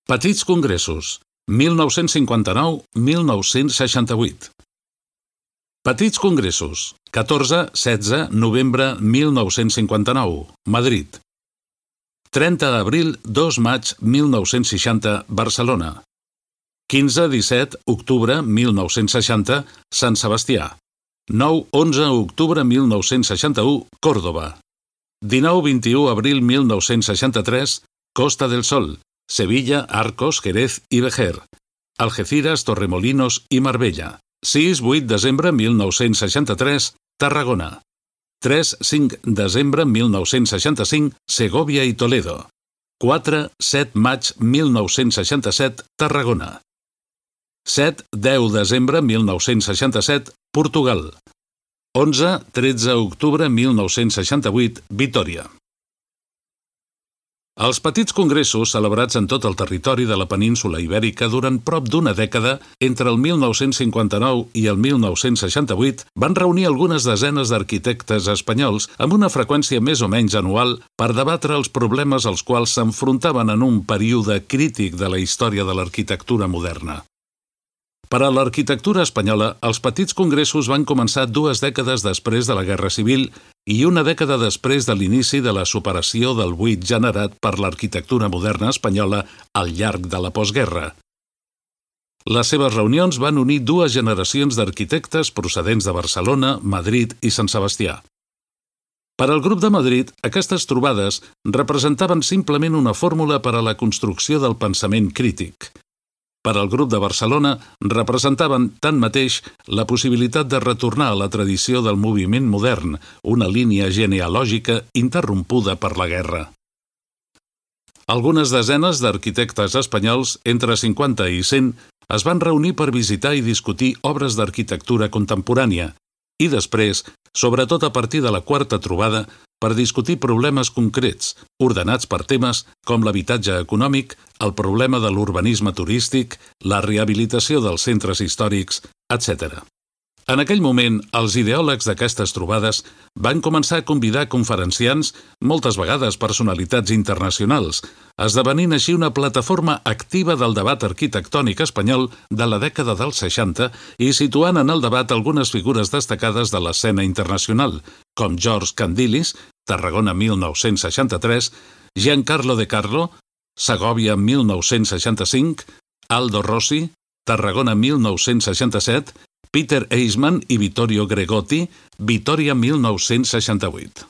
Petits congressos, 1959-1968. Petits congressos, 14-16 novembre 1959, Madrid. 30 d'abril, 2 maig 1960, Barcelona. 15-17 octubre 1960, Sant Sebastià. 9-11 octubre 1961, Còrdova. 19-21 abril 1963, Costa del Sol, Sevilla, Arcos, Jerez i Vejer. Algeciras, Torremolinos i Marbella. 6-8 desembre 1963, Tarragona. 3-5 desembre 1965, Segòvia i Toledo. 4-7 maig 1967, Tarragona. 7-10 desembre 1967, Portugal. 11-13 octubre 1968, Vitòria. Els petits congressos, celebrats en tot el territori de la península Ibèrica durant prop d'una dècada, entre el 1959 i el 1968, van reunir algunes desenes d'arquitectes espanyols amb una freqüència més o menys anual per debatre els problemes als quals s'enfrontaven en un període crític de la història de l'arquitectura moderna. Per a l'arquitectura espanyola, els petits congressos van començar 2 dècades després de la Guerra Civil i una dècada després de l'inici de la superació del buit generat per l'arquitectura moderna espanyola al llarg de la postguerra. Les seves reunions van unir 2 generacions d'arquitectes procedents de Barcelona, Madrid i Sant Sebastià. Per al grup de Madrid, aquestes trobades representaven simplement una fórmula per a la construcció del pensament crític. Per al grup de Barcelona, representaven, tanmateix, la possibilitat de retornar a la tradició del moviment modern, una línia genealògica interrompuda per la guerra. Algunes desenes d'arquitectes espanyols, entre 50 i 100, es van reunir per visitar i discutir obres d'arquitectura contemporània i després, sobretot a partir de la 4ª trobada, per discutir problemes concrets, ordenats per temes com l'habitatge econòmic, el problema de l'urbanisme turístic, la rehabilitació dels centres històrics, etc. En aquell moment, els ideòlegs d'aquestes trobades van començar a convidar conferenciants, moltes vegades personalitats internacionals, esdevenint així una plataforma activa del debat arquitectònic espanyol de la dècada dels 60 i situant en el debat algunes figures destacades de l'escena internacional, com George Candilis, Tarragona 1963, Giancarlo De Carlo, Segòvia 1965, Aldo Rossi, Tarragona 1967, Peter Eisman i Vittorio Gregotti, Vitòria 1968.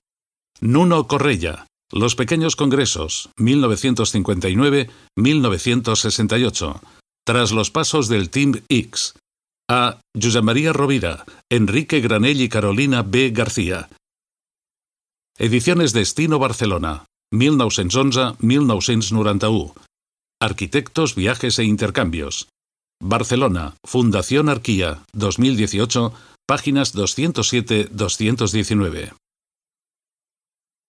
Nuno Correia, Los Pequeños Congresos, 1959-1968, Tras los pasos del Team X. A. Josep María Rovira, Enrique Granell y Carolina B. García. Ediciones Destino Barcelona, 1911-1991. Arquitectos, viajes e intercambios. Barcelona, Fundación Arquía, 2018, páginas 207-219.